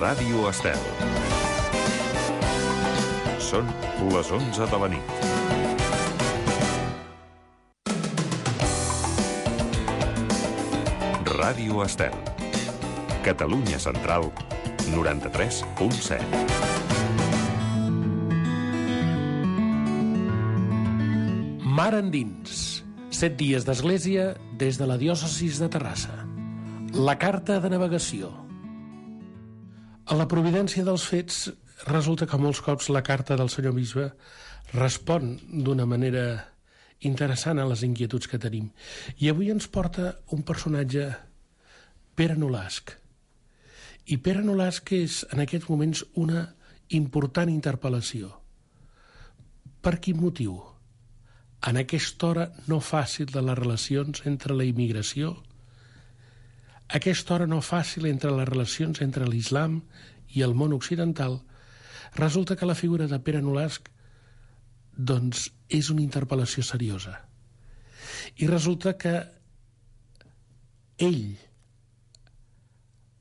Ràdio Estel. Són les 11 de la nit. Ràdio Estel. Catalunya Central, 93.7. Mar endins. 7 dies d'església des de la diòcesis de Terrassa. La carta de navegació. A la providència dels fets, resulta que molts cops la carta del senyor bisbe respon d'una manera interessant a les inquietuds que tenim. I avui ens porta un personatge, Pere Nolasc. I Pere Nolasc és, en aquests moments, una important interpel·lació. Per quin motiu? En aquesta hora no fàcil de les relacions entre la immigració, aquesta hora no fàcil entre les relacions entre l'islam i el món occidental, resulta que la figura de Pere Nolasc doncs és una interpel·lació seriosa. I resulta que ell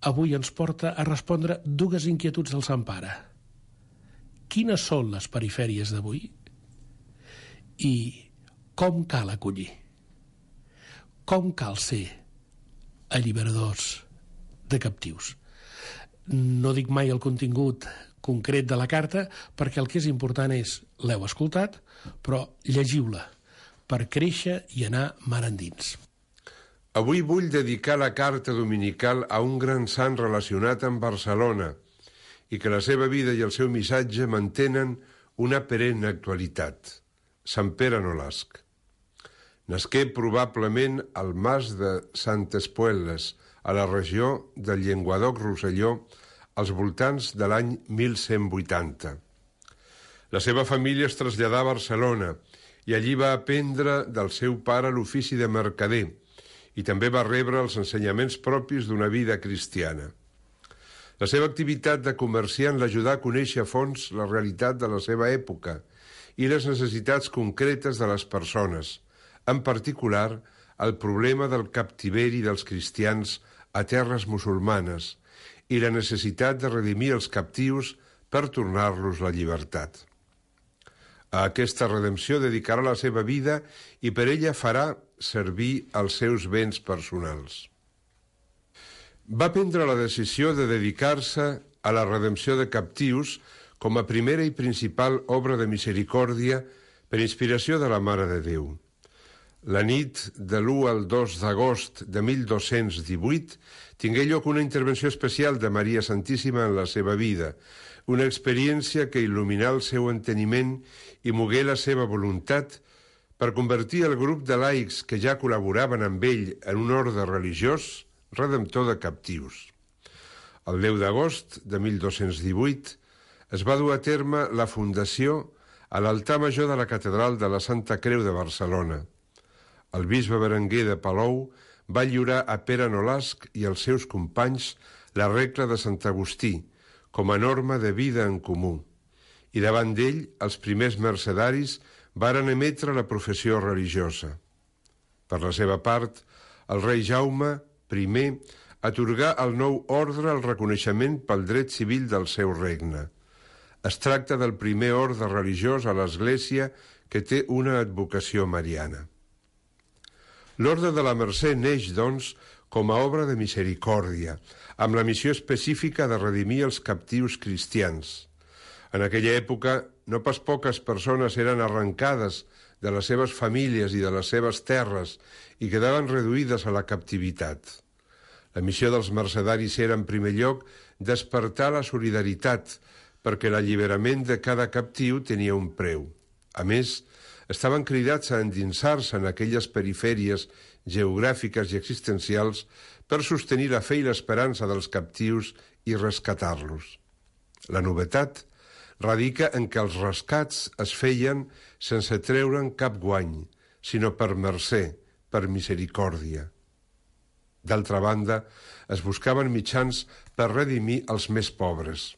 avui ens porta a respondre dues inquietuds del Sant Pare. Quines són les perifèries d'avui? I com cal acollir? Com cal ser alliberadors de captius? No dic mai el contingut concret de la carta, perquè el que és important és, l'heu escoltat, però llegiu-la per créixer i anar mar endins. Avui vull dedicar la carta dominical a un gran sant relacionat amb Barcelona i que la seva vida i el seu missatge mantenen una perenne actualitat. Sant Pere Nolasc. Nasqué probablement al mas de Santes Puelles, a la regió del Llenguadoc-Rosselló, als voltants de l'any 1180. La seva família es traslladà a Barcelona i allí va aprendre del seu pare l'ofici de mercader i també va rebre els ensenyaments propis d'una vida cristiana. La seva activitat de comerciant l'ajudà a conèixer a fons la realitat de la seva època i les necessitats concretes de les persones, en particular el problema del captiveri dels cristians a terres musulmanes i la necessitat de redimir els captius per tornar-los la llibertat. A aquesta redempció dedicarà la seva vida i per ella farà servir els seus béns personals. Va prendre la decisió de dedicar-se a la redempció de captius com a primera i principal obra de misericòrdia per inspiració de la Mare de Déu. La nit de l'1 al 2 d'agost de 1218 tingué lloc una intervenció especial de Maria Santíssima en la seva vida, una experiència que il·luminà el seu enteniment i mogué la seva voluntat per convertir el grup de laics que ja col·laboraven amb ell en un orde religiós redemptor de captius. El 10 d'agost de 1218 es va dur a terme la fundació a l'altar major de la Catedral de la Santa Creu de Barcelona. El bisbe Berenguer de Palou va lliurar a Pere Nolasc i als seus companys la regla de Sant Agustí com a norma de vida en comú, i davant d'ell els primers mercedaris varen emetre la professió religiosa. Per la seva part, el rei Jaume I atorgà al nou ordre el reconeixement pel dret civil del seu regne. Es tracta del primer orde religiós a l'Església que té una advocació mariana. L'Orde de la Mercè neix, doncs, com a obra de misericòrdia, amb la missió específica de redimir els captius cristians. En aquella època, no pas poques persones eren arrencades de les seves famílies i de les seves terres i quedaven reduïdes a la captivitat. La missió dels mercedaris era, en primer lloc, despertar la solidaritat, perquè l'alliberament de cada captiu tenia un preu. A més, estaven cridats a endinsar-se en aquelles perifèries geogràfiques i existencials per sostenir la fe i l'esperança dels captius i rescatar-los. La novetat radica en què els rescats es feien sense treure'n cap guany, sinó per mercè, per misericòrdia. D'altra banda, es buscaven mitjans per redimir els més pobres.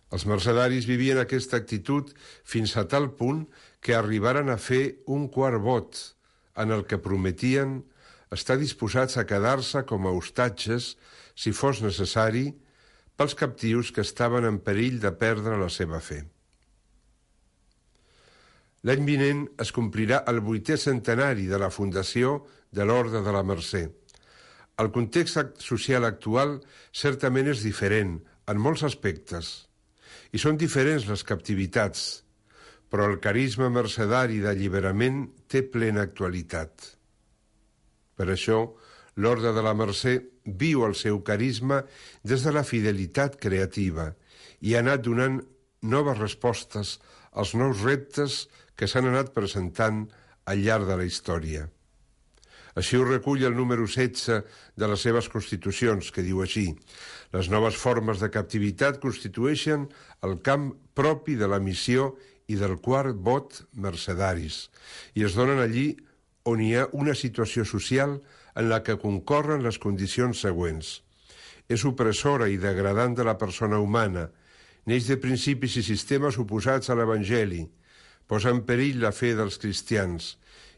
Els mercedaris vivien aquesta actitud fins a tal punt que arribaren a fer un quart vot en el que prometien estar disposats a quedar-se com a hostatges, si fos necessari, pels captius que estaven en perill de perdre la seva fe. L'any vinent es complirà el 8è centenari de la fundació de l'Orde de la Mercè. El context social actual certament és diferent en molts aspectes, i són diferents les captivitats, però el carisma mercedari d'alliberament té plena actualitat. Per això, l'Orde de la Mercè viu el seu carisma des de la fidelitat creativa i ha anat donant noves respostes als nous reptes que s'han anat presentant al llarg de la història. Així ho recull el número 16 de les seves constitucions, que diu així: les noves formes de captivitat constitueixen el camp propi de la missió i del quart vot mercedaris, i es donen allí on hi ha una situació social en la que concorren les condicions següents. És opressora i degradant de la persona humana, neix de principis i sistemes oposats a l'Evangeli, posa en perill la fe dels cristians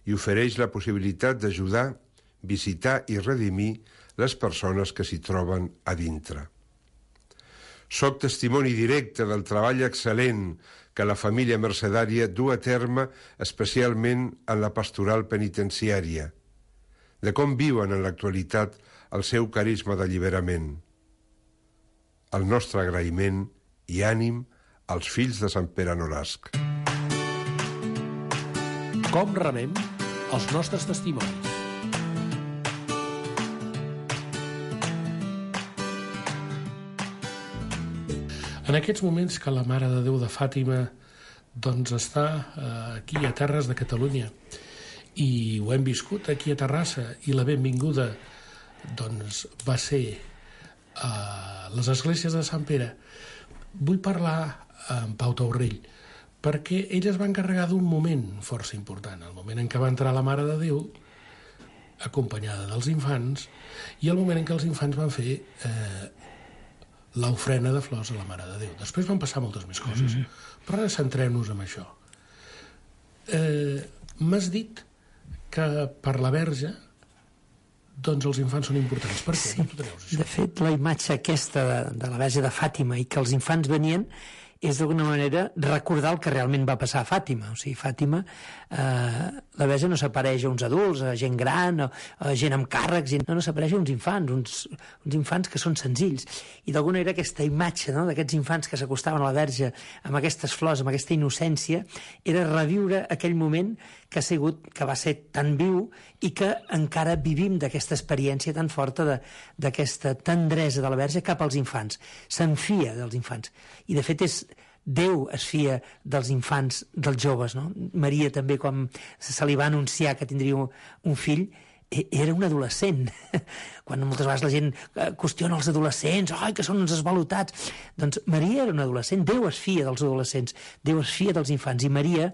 i ofereix la possibilitat d'ajudar, visitar i redimir les persones que s'hi troben a dintre. Soc testimoni directe del treball excel·lent que la família mercedària du a terme especialment en la pastoral penitenciària, de com viuen en l'actualitat el seu carisma d'alliberament. El nostre agraïment i ànim als fills de Sant Pere Nolasc. Com rebem els nostres testimonis? En aquests moments que la Mare de Déu de Fàtima doncs està aquí a terres de Catalunya i ho hem viscut aquí a Terrassa i la benvinguda doncs va ser a les esglésies de Sant Pere, vull parlar amb Pau Taurell perquè ell es va encarregar d'un moment força important, el moment en què va entrar la Mare de Déu acompanyada dels infants i el moment en què els infants van fer l'ofrena de flors a la Mare de Déu. Després van passar moltes més coses, però ara centrem-nos en això. M'has dit que per la Verge doncs els infants són importants. Per què? Sí. De fet, la imatge aquesta de la Verge de Fàtima i que els infants venien és d'alguna manera recordar el que realment va passar a Fàtima. O sigui, Fàtima, la Verge no s'apareix a uns adults, a gent gran, a gent amb càrrecs, no s'apareix a uns infants, uns infants que són senzills. I d'alguna manera aquesta imatge, no?, d'aquests infants que s'acostaven a la Verge amb aquestes flors, amb aquesta innocència, era reviure aquell moment que va ser tan viu i que encara vivim d'aquesta experiència tan forta d'aquesta tendresa de la Verge cap als infants. Se'n fia dels infants. I de fet Déu es fia dels infants, dels joves, no? Maria també, quan se li va anunciar que tindria un fill, era un adolescent. Quan moltes vegades la gent qüestiona els adolescents, que són uns esvalotats. Doncs Maria era un adolescent. Déu es fia dels adolescents, Déu es fia dels infants. I Maria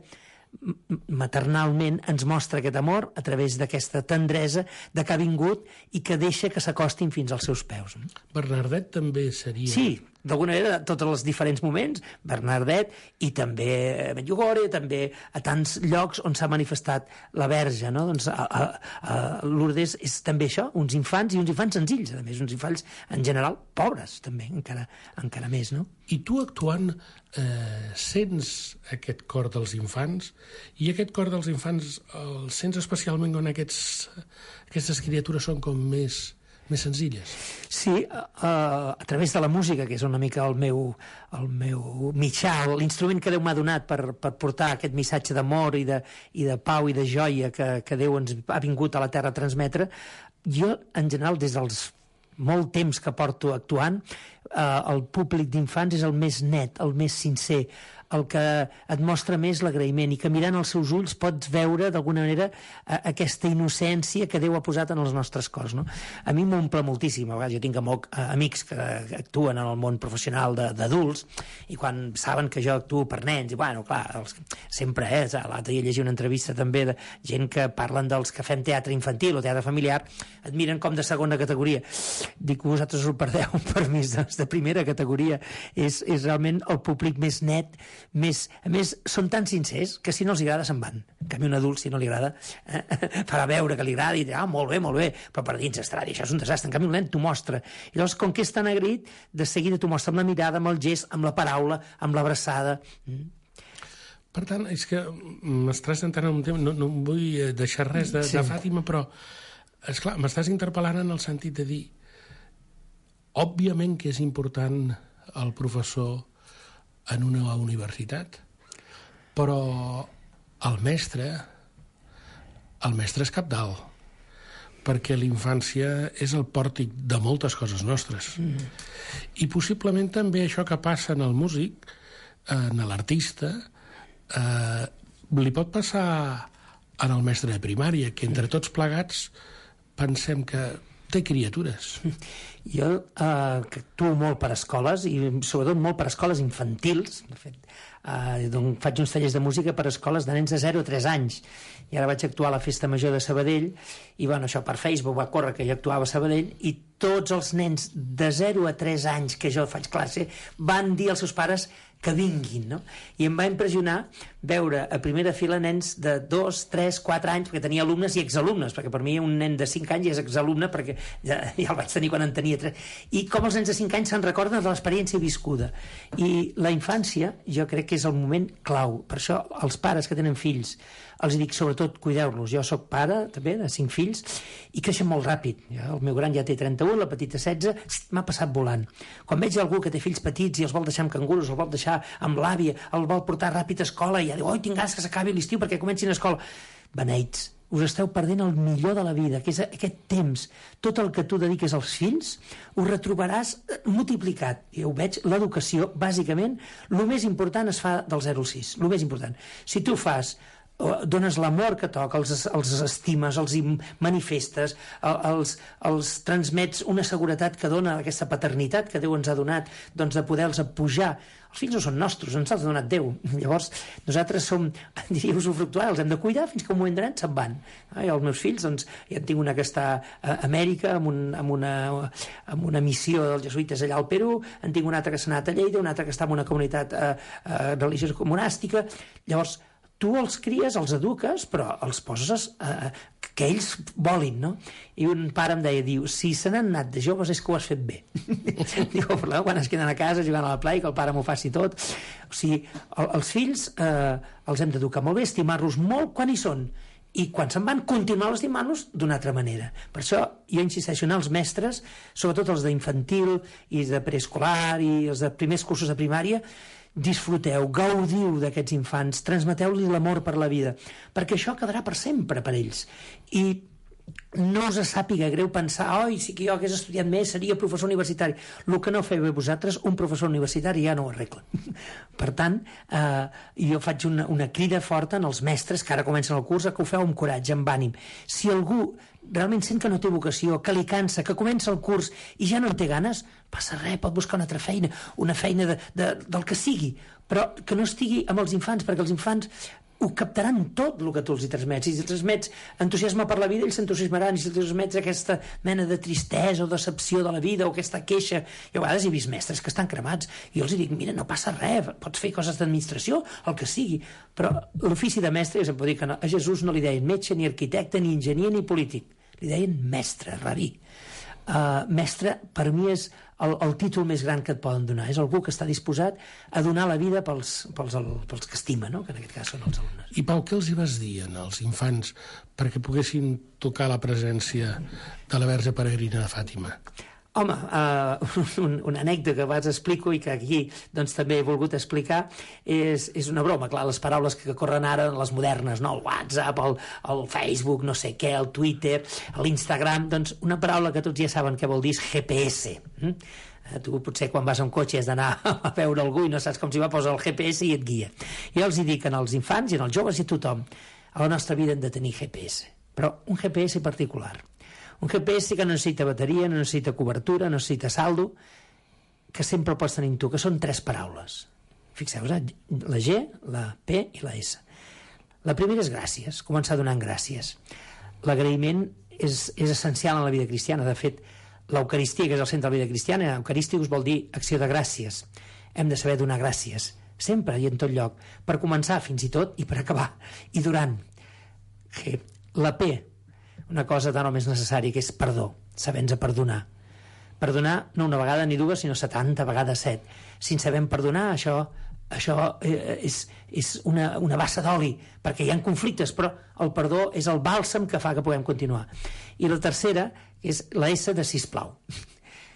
maternalment ens mostra aquest amor a través d'aquesta tendresa de que ha vingut i que deixa que s'acostin fins als seus peus. Bernardet també seria... Sí, d'alguna manera, tots els diferents moments, Bernardet i també a Medjugorje, també a tants llocs on s'ha manifestat la Verge, no? Doncs a Lourdes és també això, uns infants i uns infants senzills, a més, uns infants en general pobres, també, encara més, no? I tu actuant sents aquest cor dels infants i aquest cor dels infants el sents especialment quan aquestes criatures són com més senzilles? Sí, a través de la música, que és una mica el meu mitjà, l'instrument que Déu m'ha donat per portar aquest missatge d'amor i de pau i de joia que Déu ens ha vingut a la Terra a transmetre. Jo, en general, des dels molt temps que porto actuant, el públic d'infants és el més net, el més sincer, el que et mostra més l'agraïment i que mirant els seus ulls pots veure d'alguna manera aquesta innocència que Déu ha posat en els nostres cors, no? A mi m'omple moltíssim. A vegades jo tinc amics que actuen en el món professional d'adults i quan saben que jo actuo per nens, i bueno, clar, sempre l'altre dia llegia una entrevista també de gent que parlen dels que fem teatre infantil o teatre familiar, et miren com de segona categoria. Dic, vosaltres us ho perdeu, per mi de primera categoria. És realment el públic més net a més, són tan sincers que si no els agrada se'n van. En canvi, un adult, si no li agrada, farà veure que li agrada i dirà, molt bé, però per dins estarà, això és un desastre. En canvi, un nen t'ho mostra. I llavors, com que és tan agraït, de seguida t'ho mostra amb la mirada, amb el gest, amb la paraula, amb l'abraçada. Per tant, és que m'estàs entrant en un tema, no vull deixar res de Fàtima, però, esclar, m'estàs interpel·lant en el sentit de dir, òbviament que és important el professor en una universitat, però el mestre és cabdal, perquè l'infància és el pòrtic de moltes coses nostres. I possiblement també això que passa en el músic, en l'artista, li pot passar en el mestre de primària, que entre tots plegats pensem que té criatures. Jo que actuo molt per escoles, i sobretot molt per escoles infantils, de fet, faig uns tallers de música per escoles de nens de 0 a 3 anys, i ara vaig actuar a la Festa Major de Sabadell, i bueno, això per Facebook va córrer que jo actuava a Sabadell, i tots els nens de 0 a 3 anys que jo faig classe van dir als seus pares que vinguin, no? I em va impressionar veure a primera fila nens de 2, 3, 4 anys, perquè tenia alumnes i exalumnes, perquè per mi un nen de 5 anys és exalumne, perquè ja el vaig tenir quan en tenia 3, i com els nens de 5 anys se'n recorden de l'experiència viscuda. I la infància, jo crec que és el moment clau. Per això els pares que tenen fills, els dic, sobretot, cuideu-los. Jo sóc pare, també, de 5 fills, i creixen molt ràpid. El meu gran ja té 31, la petita 16, m'ha passat volant. Quan veig algú que té fills petits i els vol deixar amb canguros, els vol deixar amb l'àvia, el vol portar ràpid a escola, i ja diu, oi, tinc ganes que s'acabi l'estiu perquè comencin a escola. Beneits, us esteu perdent el millor de la vida, que és aquest temps. Tot el que tu dediques als fills ho retrobaràs multiplicat. I ho veig, l'educació, bàsicament, el més important es fa del 0 al 6, el més important. Si tu dones l'amor que toca, els estimes, els manifestes, els transmets una seguretat que dona aquesta paternitat que Déu ens ha donat, doncs de poder-los pujar. Els fills no són nostres, ens els ha donat Déu. Llavors, nosaltres som, diria, usufructuaris, els hem de cuidar fins que un moment donat se'n van. I els meus fills, doncs, ja en tinc una que està a Amèrica, amb una missió dels jesuïtes allà al Perú, en tinc una altra que s'ha anat a Lleida, una altra que està en una comunitat religiosa monàstica. Llavors, tu els cries, els eduques, però els poses que ells volin, no? I un pare em deia, diu, si se n'han anat de joves és que ho has fet bé. Diu, quan es queden a casa jugant a la playa, que el pare m'ho faci tot. O sigui, els fills els hem d'educar molt bé, estimar-los molt quan hi són, i quan se'n van, continuar estimant-los d'una altra manera. Per això jo insisteixo en els mestres, sobretot els d'infantil i de preescolar i els de primers cursos de primària, disfruteu, gaudiu d'aquests infants, transmeteu-li l'amor per la vida, perquè això quedarà per sempre per ells. I no us sàpiga greu pensar, oi, si que jo hagués estudiat més seria professor universitari. El que no feu vosaltres, un professor universitari ja no ho arregla. Per tant, jo faig una crida forta en els mestres que ara comencen el curs, que ho feu amb coratge, amb ànim. Si algú realment sent que no té vocació, que li cansa, que comença el curs i ja no en té ganes, passa res, pot buscar una altra feina, una feina del que sigui, però que no estigui amb els infants, perquè els infants ho captaran tot el que tu els hi transmets. Si els transmets entusiasme per la vida, ells s'entusiasmaran. Si els transmets aquesta mena de tristesa o decepció de la vida o aquesta queixa, jo a vegades he vist mestres que estan cremats i jo els dic, mira, no passa res, pots fer coses d'administració, el que sigui, però l'ofici de mestre, jo sempre dic que a Jesús no li deien metge, ni arquitecte, ni enginyer, ni polític, li deien mestre, rabí. Mestre, per mi, és el títol més gran que et poden donar. És algú que està disposat a donar la vida pels que estima, no? Que en aquest cas són els alumnes. I Pau, què els hi vas dir als infants perquè poguessin tocar la presència de la Verge Peregrina de Fàtima? Home, una anècdota que abans explico i que aquí doncs, també he volgut explicar és una broma, clar, les paraules que corren ara, les modernes, no? El WhatsApp, el Facebook, no sé què, el Twitter, l'Instagram, doncs una paraula que tots ja saben què vol dir és GPS. Tu potser quan vas a un cotxe has d'anar a veure algú i no saps com s'hi va, posa el GPS i et guia. Jo els hi dic als infants i als joves i a tothom, a la nostra vida hem de tenir GPS, però un GPS particular. Un GPS que no necessita bateria, no necessita cobertura, no necessita saldo, que sempre el pots tenir tu, que són 3 paraules. Fixeu-vos, la G, la P i la S. La primera és gràcies, començar donant gràcies. L'agraïment és essencial en la vida cristiana. De fet, l'Eucaristia, que és el centre de la vida cristiana, Eucarísticus vol dir acció de gràcies. Hem de saber donar gràcies sempre i en tot lloc, per començar fins i tot i per acabar, i durant. La P, una cosa tan o més necessària, que és perdó, saber-nos perdonar. Perdonar no una vegada ni dues, sinó 70 vegades 7. Si ens sabem perdonar, això és una bassa d'oli, perquè hi ha conflictes, però el perdó és el bàlsam que fa que puguem continuar. I la tercera és la S de sisplau.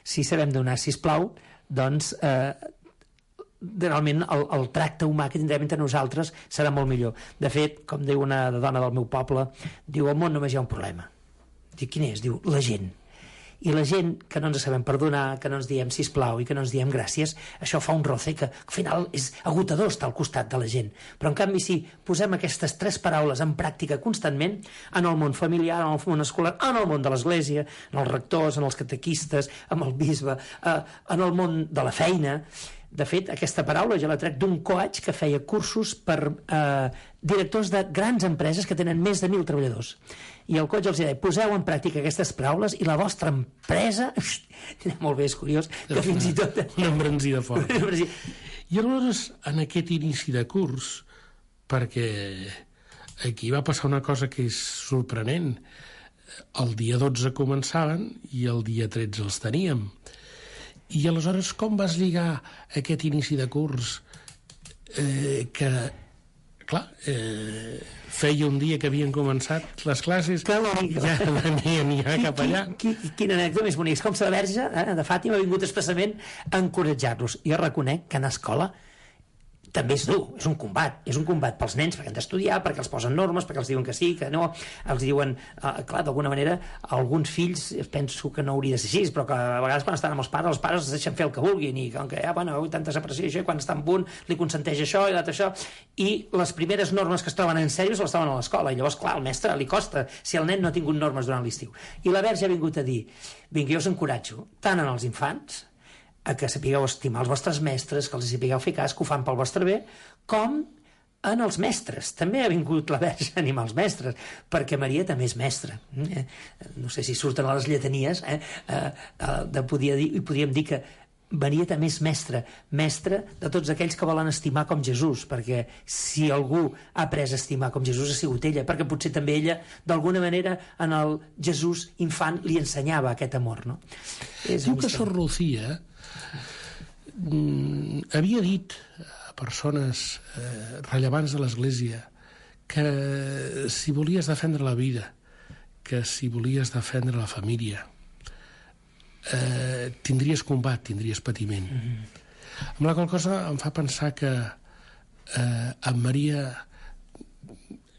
Si sabem donar sisplau, doncs realment el tracte humà que tindrem entre nosaltres serà molt millor. De fet, com diu una dona del meu poble, diu, al món només hi ha un problema. Diu, quin és? Diu, la gent. I la gent que no ens sabem perdonar, que no ens diem sisplau i que no ens diem gràcies, això fa un roce que al final és agotador estar al costat de la gent. Però en canvi si posem aquestes 3 paraules en pràctica constantment, en el món familiar, en el món escolar, en el món de l'església, en els rectors, en els catequistes, amb el bisbe, en el món de la feina. De fet, aquesta paraula jo la trec d'un coach que feia cursos per directors de grans empreses que tenen més de 1.000 treballadors. I el coach els deia, poseu en pràctica aquestes paraules i la vostra empresa... Molt bé, és curiós, que fins i tot... Una embranzida forta. I aleshores, en aquest inici de curs, perquè aquí va passar una cosa que és sorprenent, el dia 12 començaven i el dia 13 els teníem. I aleshores com vas lligar aquest inici de curs que, clar, feia un dia que havien començat les classes, ja venien ja cap allà. Quina anècdota més bonica. És com si la Verge de Fàtima ha vingut expressament a encoratjar-los. Jo reconec que anar a escola també és dur, és un combat pels nens, perquè han d'estudiar, perquè els posen normes, perquè els diuen que sí, que no, els diuen, clar, d'alguna manera, alguns fills, penso que no hauria de ser així, però que a vegades quan estan amb els pares els deixen fer el que vulguin, i com que, bueno, tanta separació i això, i quan està amb un, li consenteix això i l'altre això, i les primeres normes que es troben en sèrio se les troben a l'escola, i llavors, clar, al mestre li costa, si el nen no ha tingut normes durant l'estiu. I la Verge ha vingut a dir, vinga, jo us encoratjo, tant en els infants, a que sapigueu estimar els vostres mestres, que els sapigueu fer cas, que ho fan pel vostre bé, com en els mestres. També ha vingut la Verge a animar els mestres, perquè Maria també és mestra. No sé si surten a les lletanies, podríem dir que Maria també és mestra de tots aquells que volen estimar com Jesús, perquè si algú ha après a estimar com Jesús ha sigut ella, perquè potser també ella, d'alguna manera, en el Jesús infant li ensenyava aquest amor, no? Diu que Sor Lucía havia dit a persones rellevants de l'Església que si volies defendre la vida, que si volies defendre la família, tindries combat, tindries patiment. Amb la qual cosa em fa pensar que en Maria,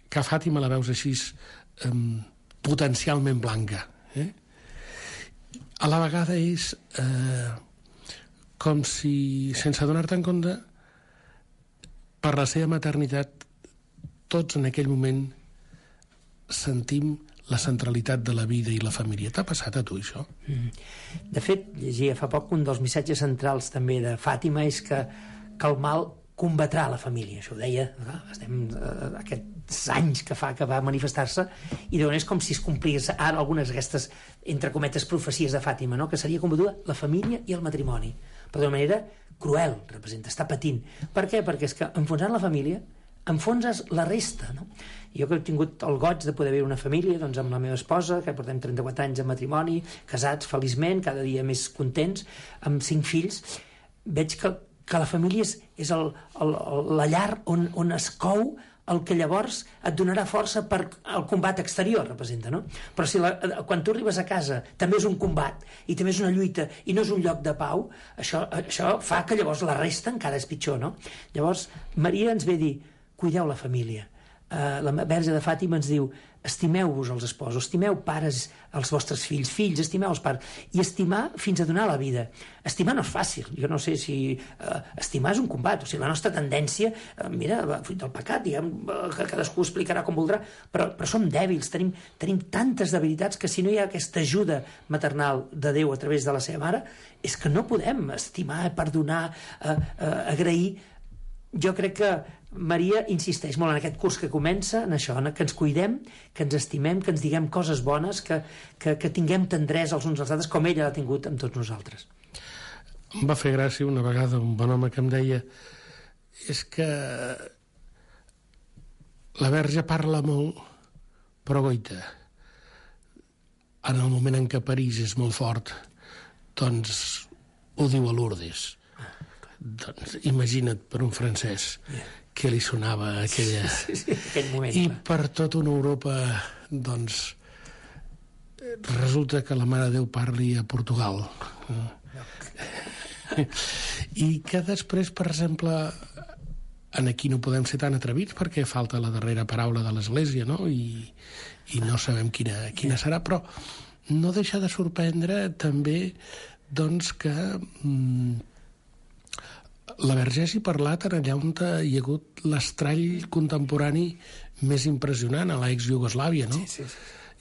que a Fàtima la veus així potencialment blanca, a la vegada és com si, sense donar-te en compte, per la seva maternitat, tots en aquell moment sentim la centralitat de la vida i la família. T'ha passat a tu, això? De fet, llegia fa poc un dels missatges centrals també de Fàtima és que el mal combatrà la família. Això ho deia, estem aquests anys que fa que va manifestar-se, i de és com si es complís ara algunes d'aquestes, entre cometes, profecies de Fàtima, no? Que seria combatuda la família i el matrimoni, però d'una manera cruel, representa, està patint. Per què? Perquè és que enfonsant la família enfonses la resta, no? Jo que he tingut el goig de poder viure una família, doncs amb la meva esposa, que portem 34 anys de matrimoni, casats feliçment, cada dia més contents, amb 5 fills, veig que la família és la llar on es cou el que llavors et donarà força per al combat exterior, representa, no? Però si quan tu arribes a casa també és un combat i també és una lluita i no és un lloc de pau, això fa que llavors la resta encara és pitjor, no? Llavors Maria ens ve a dir, cuideu la família. La Verge de Fàtima ens diu, estimeu-vos els esposos, estimeu pares els vostres fills, estimeu els pares, i estimar fins a donar la vida. Estimar no és fàcil, jo no sé si estimar és un combat, o sigui, la nostra tendència, mira, fruit del pecat, diguem, que cadascú explicarà com voldrà, però som dèbils, tenim tantes debilitats que si no hi ha aquesta ajuda maternal de Déu a través de la seva mare, és que no podem estimar, perdonar, agrair. Jo crec que Maria insisteix molt en aquest curs que comença, en això, que ens cuidem, que ens estimem, que ens diguem coses bones, que tinguem tendresa els uns als altres, com ella l'ha tingut amb tots nosaltres. Em va fer gràcia una vegada un bon home que em deia és que la Verge parla molt, però goita, en el moment en què París és molt fort, doncs ho diu a Lourdes. Doncs imagina't per un francès què li sonava aquella... aquell moment. I per tota una Europa, doncs, resulta que la Mare de Déu parli a Portugal. I que després, per exemple, aquí no podem ser tan atrevits perquè falta la darrera paraula de l'Església, no? I no sabem quina serà, però no deixa de sorprendre també doncs que la Verge hagi parlat en allà on hi ha hagut l'estrall contemporani més impressionant, a l'ex-Iugoslàvia, no? Sí.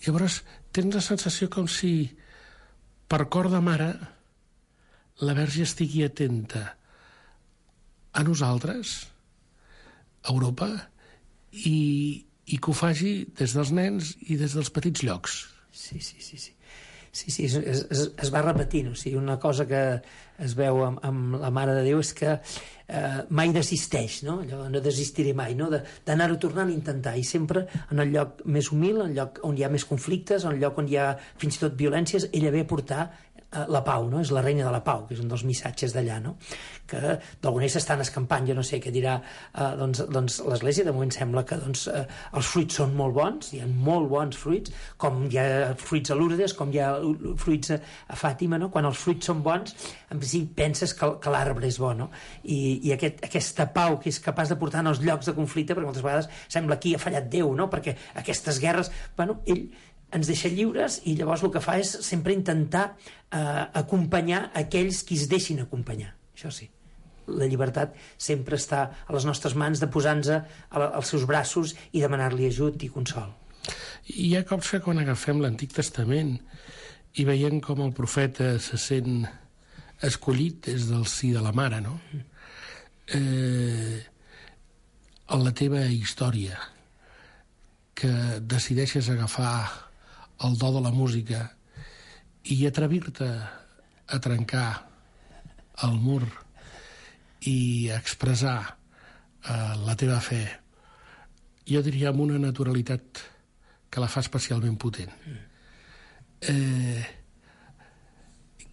Llavors, tens la sensació com si, per cor de mare, la Verge estigui atenta a nosaltres, a Europa, i que ho faci des dels nens i des dels petits llocs. Sí, es va repetint. O sigui, una cosa que es veu amb la Mare de Déu és que mai desisteix, no? Allò, no desistiré mai, no? D'anar-ho tornant a intentar, i sempre en el lloc més humil, en el lloc on hi ha més conflictes, en el lloc on hi ha fins i tot violències, ella ve a portar la pau, no? És la reina de la pau, que és un dels missatges d'allà, no? Que d'alguna manera s'estan escampant, jo no sé què dirà doncs l'Església. De moment sembla que els fruits són molt bons, hi ha molt bons fruits, com hi ha fruits a Lourdes, com hi ha fruits a Fàtima, no? Quan els fruits són bons, en principi penses que l'arbre és bo, no? I aquesta pau que és capaç de portar en els llocs de conflicte, perquè moltes vegades sembla aquí ha fallat Déu, no? Perquè aquestes guerres, bueno, ell ens deixa lliures, i llavors el que fa és sempre intentar acompanyar aquells qui es deixin acompanyar. Això sí, la llibertat sempre està a les nostres mans, de posar-nos als seus braços i demanar-li ajut i consol. Hi ha cops que quan agafem l'Antic Testament i veiem com el profeta se sent escollit des del si de la mare, no? En la teva història, que decideixes agafar el do de la música i atrevir-te a trencar el mur i expressar la teva fe, jo diria amb una naturalitat que la fa especialment potent.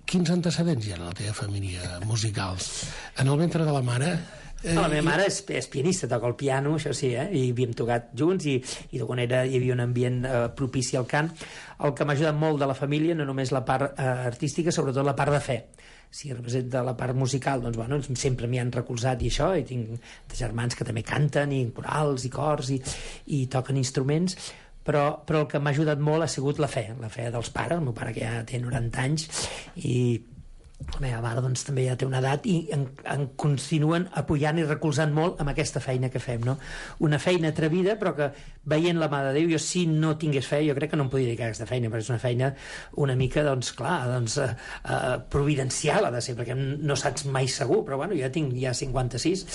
Quins antecedents hi ha en la teva família musicals? En el ventre de la mare... La meva mare és pianista, toca el piano, això sí, i havíem tocat junts, i d'alguna manera hi havia un ambient propici al cant. El que m'ha ajudat molt de la família, no només la part artística, sobretot la part de fe. Si representa la part musical, doncs bueno, sempre m'hi han recolzat, i això, i tinc germans que també canten, i corals, i cors, i toquen instruments, però el que m'ha ajudat molt ha sigut la fe dels pares. El meu pare, que ja té 90 anys, i la meva mare doncs també ja té una edat, i en continuen apoyant i recolzant molt amb aquesta feina que fem, no? Una feina atrevida, però que veient la Mare de Déu, jo si no tingués fe jo crec que no em podria dedicar a aquesta feina, perquè és una feina una mica, doncs clar, providencial ha de ser, perquè no saps mai segur, però bueno, jo tinc ja 56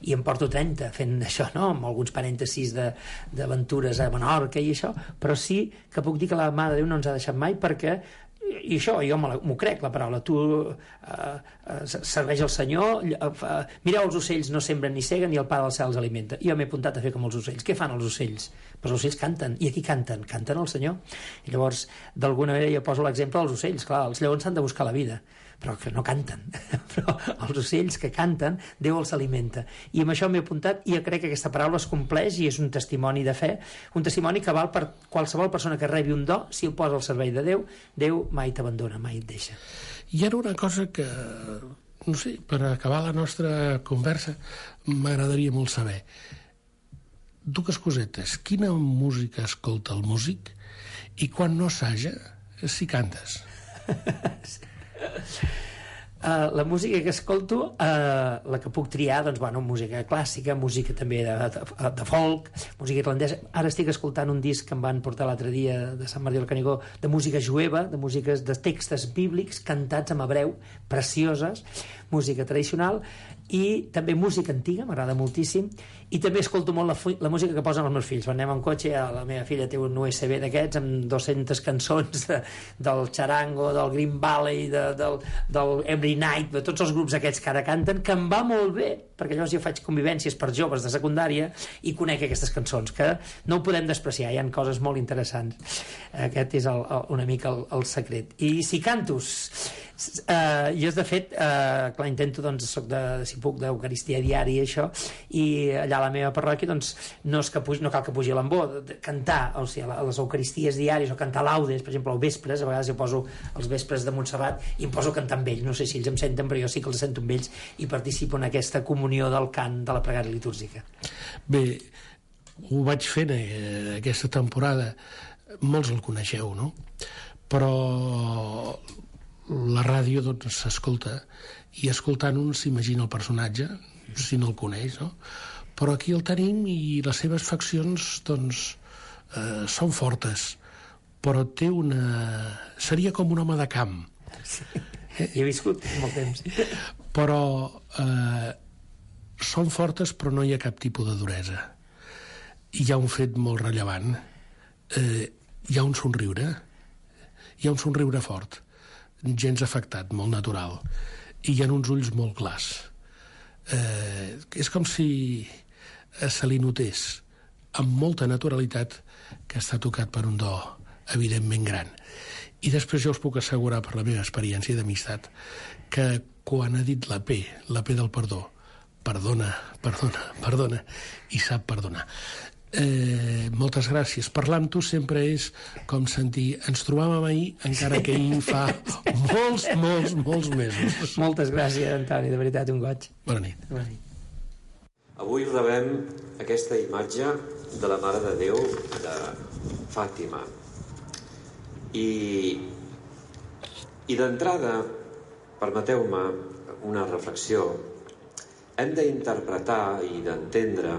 i em porto 30 fent això, no? Amb alguns parèntesis d'aventures a Menorca i això, però sí que puc dir que la Mare de Déu no ens ha deixat mai, perquè i això, jo m'ho crec, la paraula, tu serveix al Senyor, mireu els ocells, no sembren ni seguen, i el Pare del cel els alimenta. Jo m'he apuntat a fer com els ocells. Què fan els ocells? Pues els ocells canten. I aquí canten al Senyor. I llavors, d'alguna manera, jo poso l'exemple dels ocells. Clar, els lleons s'han de buscar la vida, però que no canten. Però els ocells que canten, Déu els alimenta. I amb això m'he apuntat, i jo crec que aquesta paraula es compleix, i és un testimoni de fe, un testimoni que val per qualsevol persona que rebi un do. Si el posa al servei de Déu, Déu mai t'abandona, mai et deixa. I ara una cosa que, no sé, per acabar la nostra conversa, m'agradaria molt saber. Dues cosetes. Quina música escolta el músic? I quan no assaja, si cantes? La música que escolto, la que puc triar, doncs, bueno, música clàssica, música també de folk, música irlandesa. Ara estic escoltant un disc que em van portar l'altre dia de Sant Martí del Canigó, de música jueva, de músiques de textos bíblics cantats en hebreu, precioses, música tradicional i també música antiga, m'agrada moltíssim, i també escolto molt la música que posen els meus fills. Quan anem en cotxe, la meva filla té un USB d'aquests amb 200 cançons del Charango, del Green Valley, del Every Night, de tots els grups aquests que ara canten, que em va molt bé, perquè llavors jo faig convivències per joves de secundària i conec aquestes cançons, que no ho podem despreciar, hi ha coses molt interessants. Aquest és una mica el secret. I si cantos, jo de fet, clar, intento, doncs, soc si puc, d'Eucaristia diària i això, i allà a la meva parròquia, doncs, no cal que pugi a l'embó, cantar, o sigui, a les Eucaristies diàries, o cantar laudes, per exemple, als vespres, a vegades jo poso els vespres de Montserrat i em poso a cantar amb ells, no sé si ells em senten, però jo sí que els sento amb ells i participo en aquesta comunió del cant de la pregària litúrgica. Bé, ho vaig fent aquesta temporada, molts el coneixeu, no? Però la ràdio, doncs, s'escolta, i escoltant-ho s'imagina el personatge, si no el coneix, no? Però aquí el tenim i les seves faccions, doncs, són fortes, però té seria com un home de camp. Sí, hi he viscut molt temps. Però són fortes, però no hi ha cap tipus de duresa. Hi ha un fet molt rellevant. Hi ha un somriure fort, gens afectat, molt natural, i hi ha uns ulls molt clars. És com si se li notés amb molta naturalitat que està tocat per un do evidentment gran. I després jo us puc assegurar, per la meva experiència d'amistat, que quan ha dit la P del perdó, perdona, i sap perdonar. Moltes gràcies. Parlar amb tu sempre és com sentir ens trobàvem ahir, encara que ahir fa molts mesos. Moltes gràcies, Antoni, de veritat, un goig. Bona nit. Bona nit. Avui rebem aquesta imatge de la Mare de Déu de Fàtima i d'entrada, permeteu-me una reflexió. Hem d'interpretar i d'entendre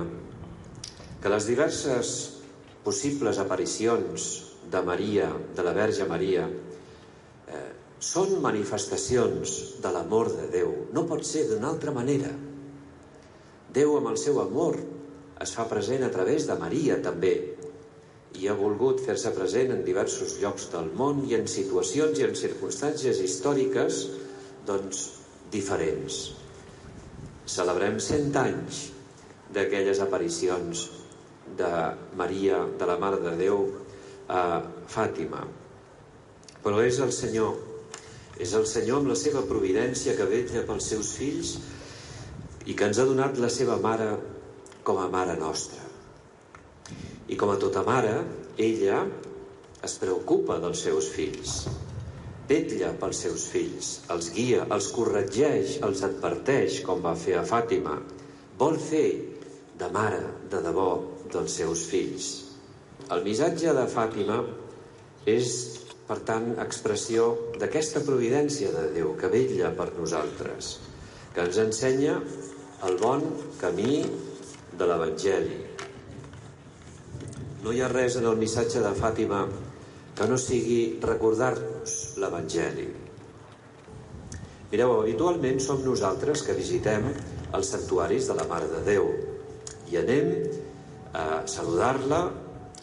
que les diverses possibles aparicions de Maria, de la Verge Maria, són manifestacions de l'amor de Déu. No pot ser d'una altra manera. Déu, amb el seu amor, es fa present a través de Maria, també, i ha volgut fer-se present en diversos llocs del món i en situacions i en circumstàncies històriques, doncs, diferents. Celebrem 100 anys d'aquelles aparicions de Maria, de la Mare de Déu, a Fàtima. Però és el Senyor amb la seva providència que vetlla pels seus fills i que ens ha donat la seva mare com a mare nostra. I com a tota mare, ella es preocupa dels seus fills, vetlla pels seus fills, els guia, els corregeix, els adverteix, com va fer a Fàtima. Vol fer de mare, de debò, dels seus fills. El missatge de Fàtima és, per tant, expressió d'aquesta providència de Déu que vetlla per nosaltres, que ens ensenya el bon camí de l'Evangeli. No hi ha res en el missatge de Fàtima que no sigui recordar-nos l'Evangeli. Mireu, habitualment som nosaltres que visitem els santuaris de la Mare de Déu i anem a saludar-la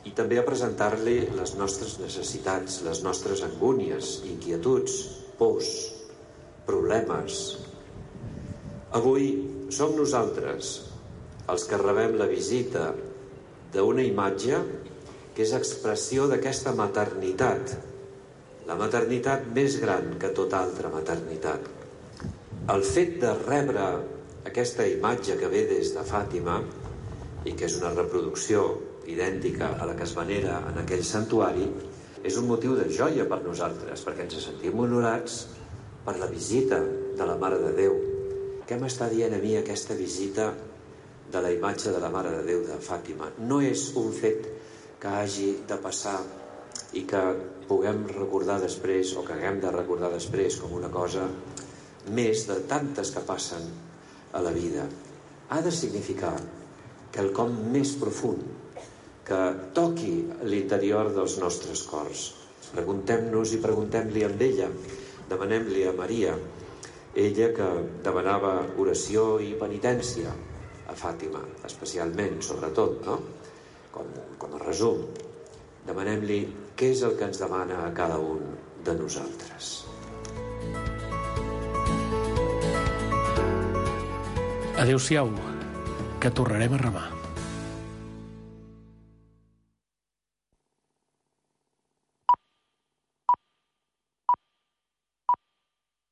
i també a presentar-li les nostres necessitats, les nostres angúnies, inquietuds, pors, problemes. Avui som nosaltres els que rebem la visita d'una imatge que és expressió d'aquesta maternitat, la maternitat més gran que tota altra maternitat. El fet de rebre aquesta imatge que ve des de Fàtima i que és una reproducció idèntica a la que es venera en aquell santuari, és un motiu de joia per nosaltres, perquè ens sentim honorats per la visita de la Mare de Déu. Què m'està dient a mi aquesta visita de la imatge de la Mare de Déu de Fàtima? No és un fet que hagi de passar i que puguem recordar després o que haguem de recordar després com una cosa més de tantes que passen a la vida. Ha de significar quelcom més profund que toqui l'interior dels nostres cors. Preguntem-nos i preguntem-li amb ella, demanem-li a Maria ella que demanava oració i penitència a Fàtima, especialment, sobretot, no? Com a resum, demanem-li què és el que ens demana a cada un de nosaltres. Adéu-siau, que tornarem a remar.